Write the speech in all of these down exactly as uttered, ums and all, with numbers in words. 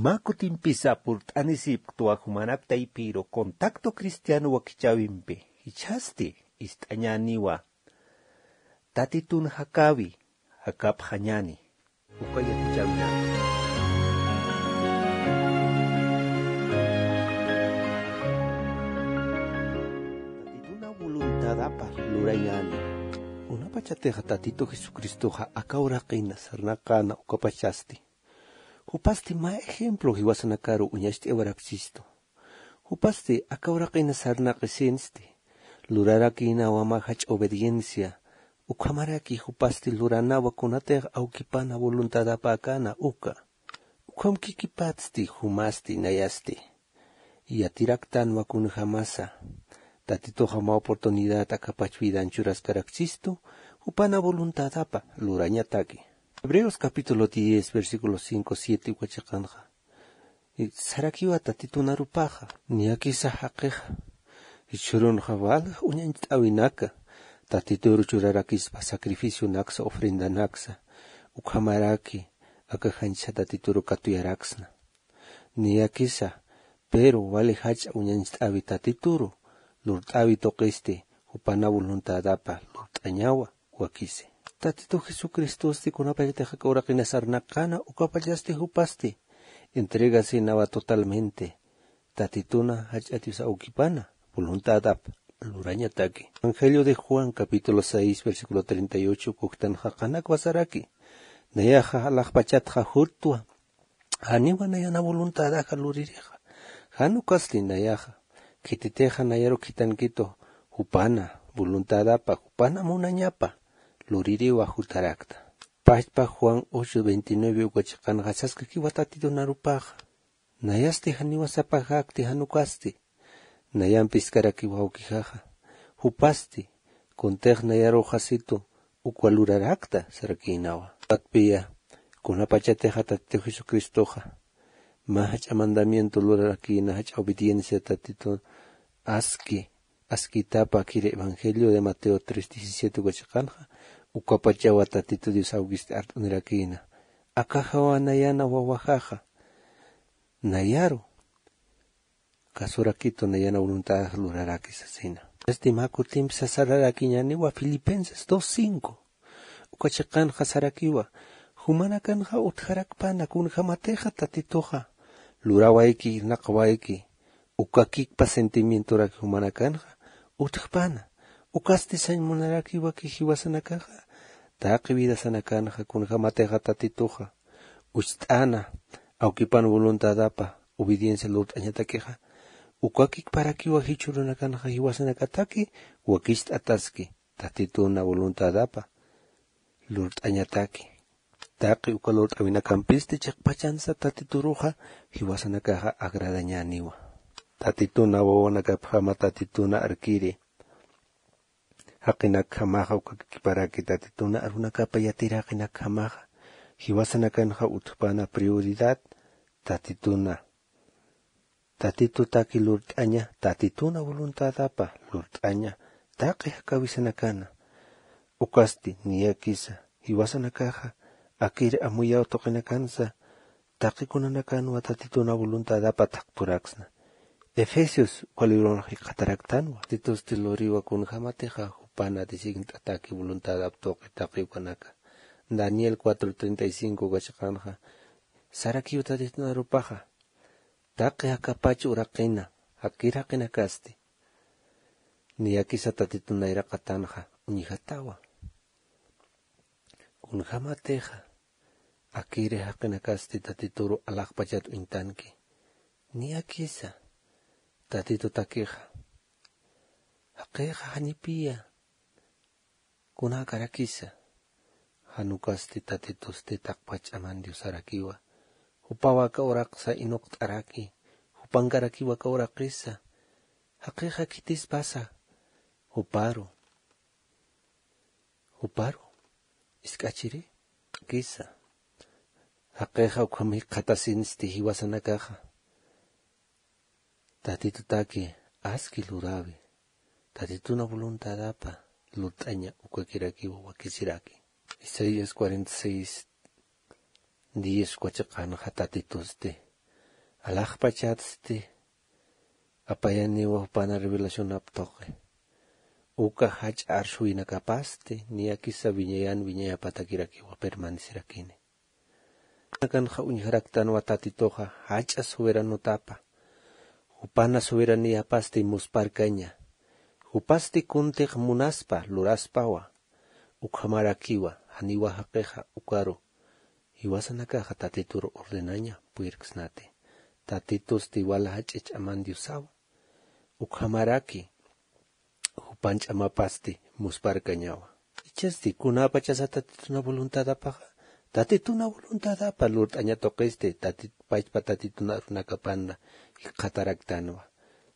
Mä kutimpisa purt'anisipktwa jumanak taypiru contacto cristiano wakichäwimpi, jichhasti ist'añäniwa. Tatitun jakäwi, jakapxañäni. Uka yatichäwinaka. Tatituna voluntadapa lurañäni. Kunapachatixa Tatitu Jesucristoxa aka uraqina sarnaqäna ukapachasti. Jupasti mä ejemplo jiwasanakaru uñacht'awaraksistu. Jupasti aka uraqina sarnaqisinsti. Lurarakïnawa mä jach'a obediencia. Ukhamaraki jupasti luranawa kunatix awkipana voluntadapäkäna uka. Ukham kikipatsti jumasti nayasti. Yatiraktanwa kunjamasa. Tatituxa mä oportunidad akapach vidan churaskaraksistu, jupana voluntadapa lurañataki. Hebreos capítulo diez, versículo cinco, siete uka chiqanxa. Sarakiwa Tatitunarupaxa, niyakisa jaqixa. Jichhürunxa wali uñañcht'äwinaka, Tatituru churarakispa sacrificionaksa, ofrendanaksa, ukhamaraki aka janchha Tatituru katuyaraksna. Niyakisa, pero wali jach'a uñañcht'äwi Tatituru, lurt'äwi tuqisti, jupana voluntadapa lurt'añawa wakisi. Tatitu Jesucristosti kunapachatix aka uraqina sarnaqäna, ukapachasti jupasti entregasinawa totalmente Tatituna jach'a Dios awkipana voluntadap lurañataki. Evangelio de Juan, capítulo seis, versículo treinta y ocho, uktanxa qanakwa saraki. Nayaxa alaxpachatxa jurtwa. Janiwa nayana voluntadaxa luririxa. Jan ukasti nayaxa. Khititixa nayaru khitankitu jupana voluntadapa, jupana munañapa luririwa jutarakta. Pachpa Juan ocho veintinueve uka chiqanxa saskakiwa Tatitunarupaxa. Nayasti janiwa sapaxakti jan ukasti. Nayamp jiskarakiwa awkixaxa. Jupasti, kuntix nayaruxasitu ukwa lurarakta sarakïnawa. Patpiya, kunapachatixa Tatitu Jesucristoxa mä jach'a mandamiento lurarakïna, jach'a obediencia Tatitu aski, askitapa akir Evangelio de Mateo tres diecisiete uka chiqanxa, ukapachawa Tatitu Dios awkisti art'anirakïna. Akaxawa nayana wawaxaxa. Nayaru kasurakitu nayana voluntad luraraki sasina. Esti mä kutimp sasararakiñäniwa Filipenses dos cinco. Uka chiqanxa sarakiwa, jumanakanxa utjarakpana kunjamatixa Tatituxa lurawayki, irnaqawayki, uka kikpa sentimientorak jumanakanxa utjpana. Ukasti sañ munarakiwaki jiwasanakaxa, taqi vidasanakanxa kunjamatixa Tatituxa ucht'ana, awkipan voluntadapa obediencia lurt'añatakixa, uka kikparakiwa jichhürunakanxa jiwasanakataki wakicht'ataski Tatituna voluntadapa lurt'añataki. Taqi uka lurt'awinakampisti chiqpachansa Tatituruxa jiwasanakaxa agradañäniwa. Tatituna wawanakapjama Tatituna arkiri jaqinakjamaxa, uka kikiparaki Tatituna arunakapa yatiri jaqinakjamaxa, jiwasanakanxa utjpana prioridad Tatituna. Tatitutaki lurt'aña, Tatituna voluntadapa lurt'aña, taqi jakawisanakana. Ukasti niyakisa, jiwasanakaxa akir amuyaw tuqinakansa, taqi kunanakanwa Tatituna voluntadapa thaqturaksna. Efesios uka libronxa jikxataraktanwa. Tatitusti luriwa kunjamatixa jupana designat'ataki voluntadap tuqi taqi ukanaka. Daniel cuatro treinta y cinco uka chiqanxa, sarakiw Tatitunarupaxa, taqi jakapach uraqina, jakir jaqinakasti. Niyakisa Tatitun nayraqatanxa uñjatawa. Kunjamatixa akiri jaqinakasti Tatituru alaxpachat uñtanki. Niyakisa Tatitutakixa. Jaqixa janipiya kunakarakisa. Jan ukasti Tatitusti taqpach ch'aman Diosarakiwa. Jupawa aka uraqsa inuqt'araki. Jupankarakiwa aka uraqisa. Jaqixa khitispasa juparu. Juparu isk'achiri kisa. Jaqixa ukham jikxatasinsti jiwasanakaxa. Tatitutaki aski lurawi. Tatituna voluntadapa lurt'aña ukakirakiwa wakisiraki. Isaías cuarenta y seis diez uka chiqanxa Tatitusti Alaxpachatsti apayaniwa jupana revelacionap tuqi. Uka jach'a arsuwinakapasti niyakisa wiñayan wiñayapatakirakiwa permanecerakini. Nakanxa uñjaraktanwa tatituxa jach'a soberanotapa. Jupana soberaniyapasti musparkaña. Jupasti kuntix munaspa luraspawa. Ukhamarakiwa janiwa jaqixa ukaru jiwasanakaxa tatitur ordenaña puyirksnati. Tatitusti wala jach'a ch'aman diosawa. Ukhamaraki jupan ch'amapasti musparkañawa. Ichasti kunapachasa tatituna voluntadapaxa tatituna voluntadapa lurt'aña tuqisti pachpa tatituna arunakapanna jikxataraktanwa.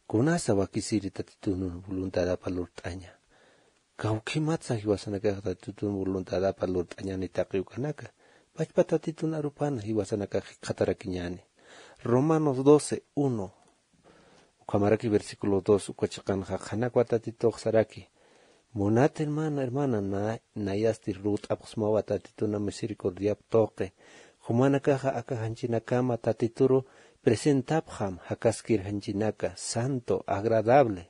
Kunasa wakisiri tatituna voluntadapa lurt'aña? Kawkhimatsa jiwasanakax tatitun voluntadapa lurt'añani taqi ukanaka. Pachpa tatitun arupana jiwasanakax jikxatarakiñani. Romanos doce uno ukhamaraki versículo dos uka chiqanxa qhanakwa tatitux saraki. Munat hermana hermana nayasti rut'apxsmawa tatituna misericordiap tuqi. Jumanakaxa aka janchinakama tatituru presentapxam jakaskir janchinaka santo agradable.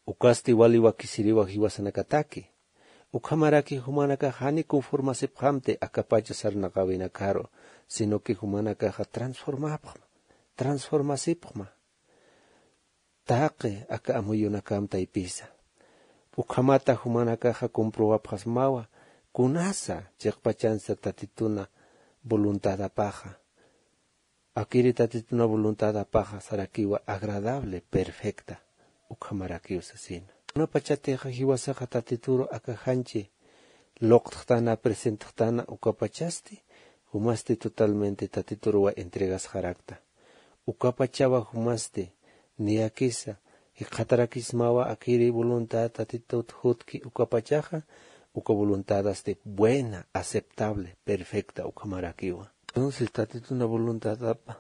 Ukasti wali wakisiriwa jiwasanakataki. Ukhamaraki jumanakax jani conformasipxamti akapacha sarnaqawinakaru, sino que jumanakaxa transformapxma transformasipxma. Taqi aka amuyunakam taypisa. Ukhamata jumanakaxa comprobapxasmawa kunasa chiqpachansa tatituna voluntadapaxa. Akiri tatituna voluntadapaxa sarakiwa agradable perfecta. Ukhamarakiw sasina. Kunapachatixa jiwasaxa tatituru akaxanchi luqtxtana presentxtana ukapachasti jumasti totalmente tatituruwa entregasxarakta. Ukapachawa jumasti niyakisa jikxatarakismawa akiri voluntad tatitut jutki ukapachaxa uka voluntadasti buena aceptable perfecta ukhamarakiwa. Entonces tatituna voluntadapa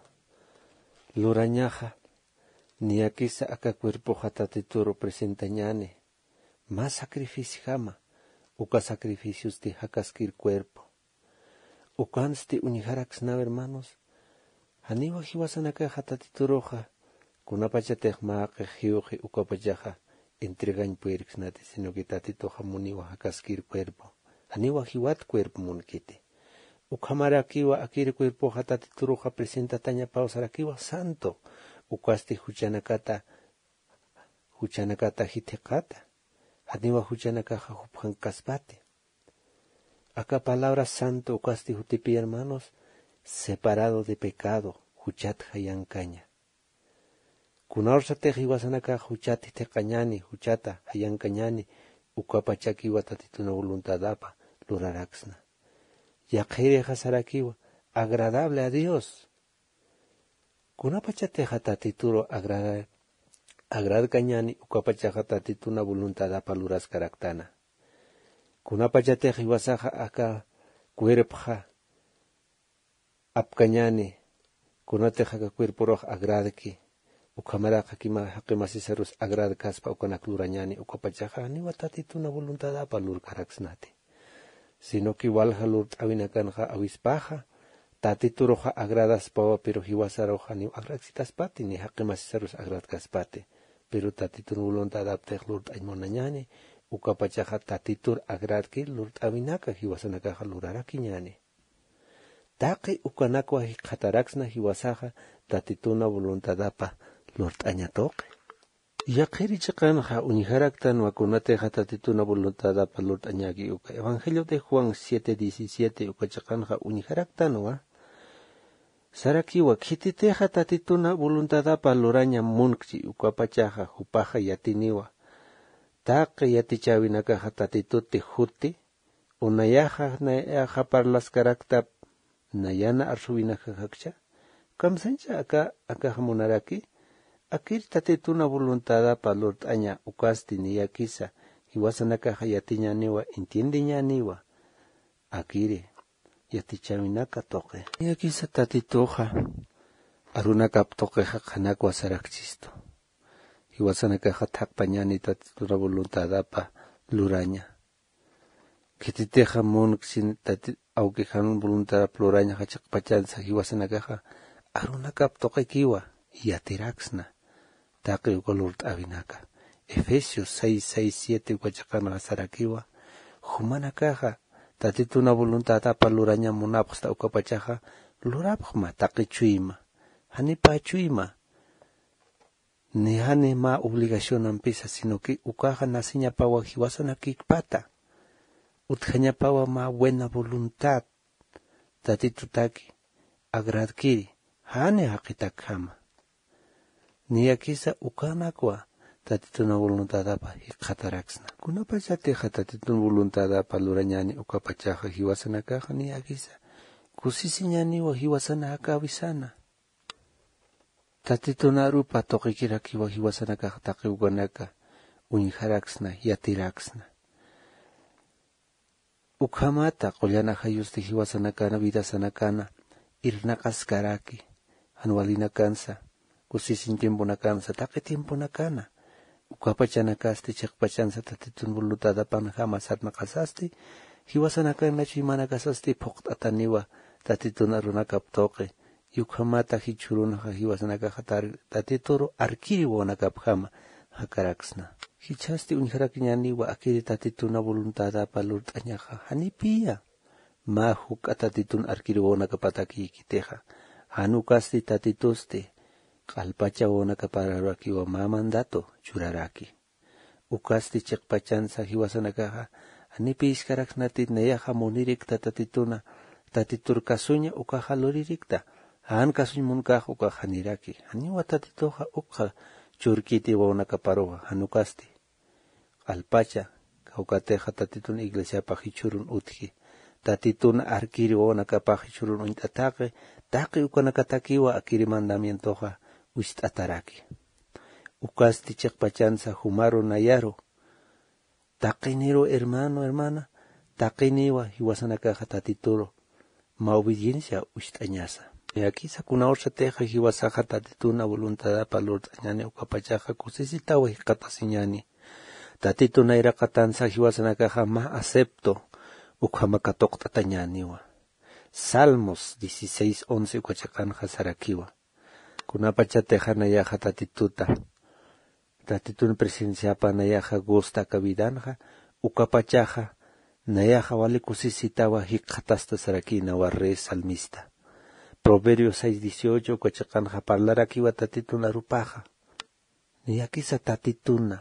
lurañaxa niyakisa aka cuerpoxa tatituru presentañani mä sacrificiojama. Uka sacrificiosti jakaskir cuerpo ukansti uñjaraksnaw hermanos. Janiwa jiwasanakaxa tatituruxa kunapachatix mä qix jiwxi ukapachaxa entregañ puyirksnati sino que tatituxa muniwa jakaskir cuerpo. Janiwa jiwat cuerpo munkiti. Ukhamarakiwa akir cuerpoxa tatituruxa presentatañapaw sarakiwa santo. Ukasti juchanakata juchanakata jithiqata. Janiwa juchanakaxa jupjankaspati. Aka palabra santo ukasti jutipi hermanos separado de pecado juchat jayankaña. Kunarsatix jiwasanakax juchat jithiqañani juchata jayankañani ukapachakiwa tatituna voluntadapa luraraksna. Yaqhirixa sarakiwa agradable a dios. Kunapachatixa tatituru agradkañani ukapachaxa tatituna voluntadapa luraskaraktana. Kunapachatix jiwasaxa aka cuerpxa apkañani kunatix aka cuerpurux agradki ukhamaraq jaqi masisarus agradkaspa ukanak lurañani ukapachaxa janiwa tatituna voluntadapa lurkaraksnati. Sino que walja lurt'awinakanxa awispaxa tatituruxa agradaspawa pero jiwasaruxa niw agradkitaspati ni jaqi masisarus agradkaspati. Pero tatitun voluntadaptix lurt'añ munañani ukapachaxa tatitur agradkir lurt'awinaka jiwasanakaxa lurarakiñani. Taqi ukanakwa jikxataraksna jiwasaxa tatituna voluntadapa lurt'aña tuqi. Yaqhiri chiqanxa uñjaraktanwa kunatixa tatituna voluntadapa lurt'añaki uka evangelio de juan siete diecisiete uka chiqanxa uñjaraktanwa. Sarakiwa khititixa tatituna voluntadapa luraña munkchi ukapachaxa jupaxa yatiniwa taqi yatichäwinakaxa tatituti juti. Unayaxa nayaxa parlaskaraktap nayana arsuwinakaxakcha kamsañcha aka akax munaraki. Akir tatituna voluntadapa lurt'aña ukasti niyakisa jiwasanakaxa yatiñaniwa entiendeñaniwa. Akiri yatichäwinaka tuqi niyakisa tatituxa arunakap tuqixa qhanakwa sarakchistu. Jiwasanakaxa thaqpañani tatituna voluntadapa luraña. Khititixa munksin awkijan voluntadap lurañaxa chiqpachansa jiwasanakaxa arunakap tuqikiwa yatiraksna taqi uka lurt'äwinaka. Efesios seis seis siete uka chiqanxa sarakiwa, jumanakaxa tatituna voluntadapa luraña munapxsta ukapachaxa lurapxma taqi chuyma, janipa chuyma, ni jani mä obligacionampisa, sino que ukaxa nasiñapawa jiwasanakikpata, utjañapawa mä buena voluntad tatitutaki agradkiri, jani jaqitakjama. Niyakisa ukanakwa tatituna voluntadapa jikxataraksna. Kunapachatixa tatitun voluntadapa lurañani ukapachaxa jiwasanakaxa niyakisa kusisiñaniwa jiwasana jakäwisana. Tatitun arupa tuqikirakiwa jiwasanakax taqi ukanaka uñjaraksna, yatiraksna. Ukhamata qullan ajayusti jiwasanakana, vidasanakana irnaqaskaraki, jan walinakansa, kusisiñ tiemponakansa, taqi tiemponakana. Ukapachanakasti chiqpachansa tatitun voluntadapanjama sarnaqasasti, jiwasanakana chuymanakasasti phuqt'ataniwa tatitun arunakap tuqi. Yukhamata jichhürunxa jiwasanakaxa tar-, tatituru arkiri wawanakapjama jakaraksna. Jichhasti uñjarakiñäniwa akiri tatituna voluntadapa lurt'añaxa, janipiya mä juk'a tatitun arkiri wawanakapatakïkitixa. Jan ukasti tatitusti q'alpacha wawanakaparakiwa mä mandato churaraki. Ukasti chiqpachansa jiwasanakaxa, janipi jiskaraksnati nayaxa munirikta tatituna, tatitur kasuña ukaxa luririkta, jan kasuñ munkax ukax janiraki. Janiwa tatituxa ukxa churkiti wawanakaparuxa, jan ukasti q'alpacha, kawkatixa tatitun iglesiapa jichhürun utji, tatitun arkiri wawanakapax jichhürun uñt'ataqi, taqi ukanakatakiwa akiri mandamientoxa wist'ataraki. Ukasti chiqpachansa jumaru nayaru, taqiniru hermano, hermana, taqiniwa jiwasanakaxa tatituru mä obediencia wist'añasa. Niyakisa kuna ursatixa jiwasaxa tatituna voluntadapa lurt'añani ukapachaxa kusisitawa jikxatasiñani. Tatitun nayraqatansa jiwasanakaxa mä acepto ukhama katuqt'atañäniwa. Salmos dieciséis once uka chiqanxa sarakiwa. Kunapachatixa nayaxa tatituta, tatitun presenciapa nayaxa gusta aka vidanxa, ukapachaxa nayaxa wali kusisitawa jikxatasta sarakïnawa rey salmista. Proverbios seis dieciocho uka chiqanxa parlarakiwa tatitun arupaxa. Niyakisa tatituna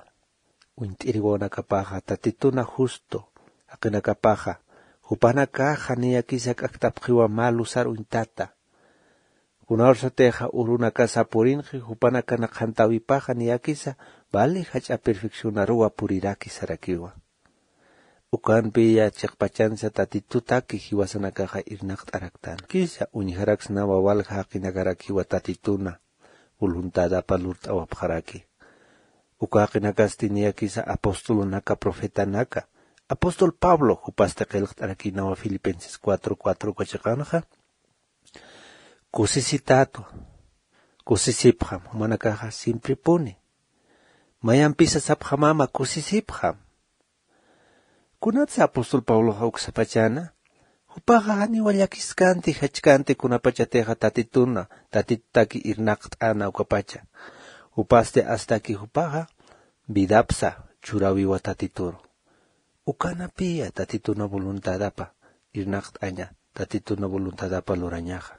uñt'iri wawanakapaxa, tatituna justo jaqinakapaxa, jupanakaxa niyakisa k'akt'apxiwa mä lusar uñtata. Kuna ursatixa urunakasa purinxi, jupanakana qhantäwipaxa niyakisa vali jach'a perfeccionaruwa puriraki sarakiwa. Ukampiya chiqpachansa tatitutaki jiwasanakaxa irnaqt'araktan. Kisa uñjaraksnawa walja jaqinakarakiwa tatituna voluntadapa lurt'awapxaraki. Uka jaqinakasti niyakisa apostolunaka, profetanaka. Apóstol Pablo jupasti qillqt'arakïnawa Filipenses cuatro cuatro uka chiqanxa. Kusisitätwa, kusisipxam, jumanakaxa simpripuni. Mayampisa sapxamama kusisipxam. Kunatsa apóstol Pabloxa uksapachana, jupaxa janiwa llakiskanti, jachkanti kunapachatixa tatituna, tatitutaki irnaqt'ana ukapacha. Jupasti astaki jupaxa vidapsa churawiwa tatituru. Ukanapiya tatituna voluntadapa irnaqt'aña, tatituna voluntadapa lurañaxa.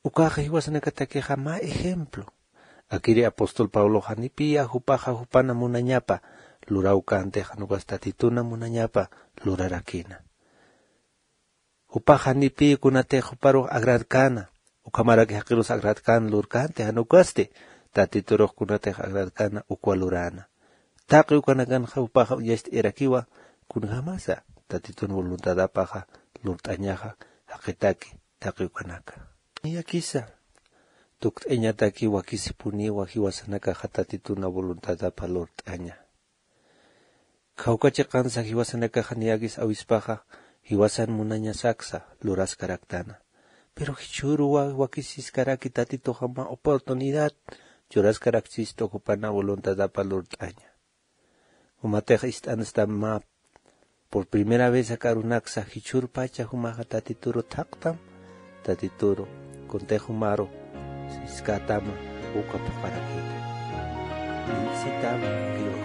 Ukaxa jiwasanakatakixa mä ejemplo. Akiri apóstol Pabloxa janipiya jupaxa jupana munañapa lurawkänti, jan ukas tatituna munañapa lurarakïna. Jupaxa janipiya kunatix juparux agradkäna, ukhamaraki jaqirus agradkäna lurkänti, jan ukasti tatiturux kunatix agradkäna ukwa luräna. Taqi ukanakanxa jupaxa uñacht'ayarakiwa kunjamasa tatitun voluntadapaxa lurt'añaxa jaqitaki taqi ukanaka. Niyakisa tukt'añataki wakisipuniwa jiwasanakaxa tatituna voluntadapa lurt'aña. Kawka chiqansa jiwasanakaxa niyakis awispaxa jiwasan munañasaksa luraskaraktana. Pero jichhüruwa wakisiskaraki tatituxa mä oportunidad churaskarakchistu jupana voluntadapa lurt'aña. Jumatix ist'ansta mä por primera vez aka arunaksa jichhürpacha jumaxa tatituru thaqtam, tatituru kuntix jumaru siskätama uka phuqharakïta. Bendecitama, Dios.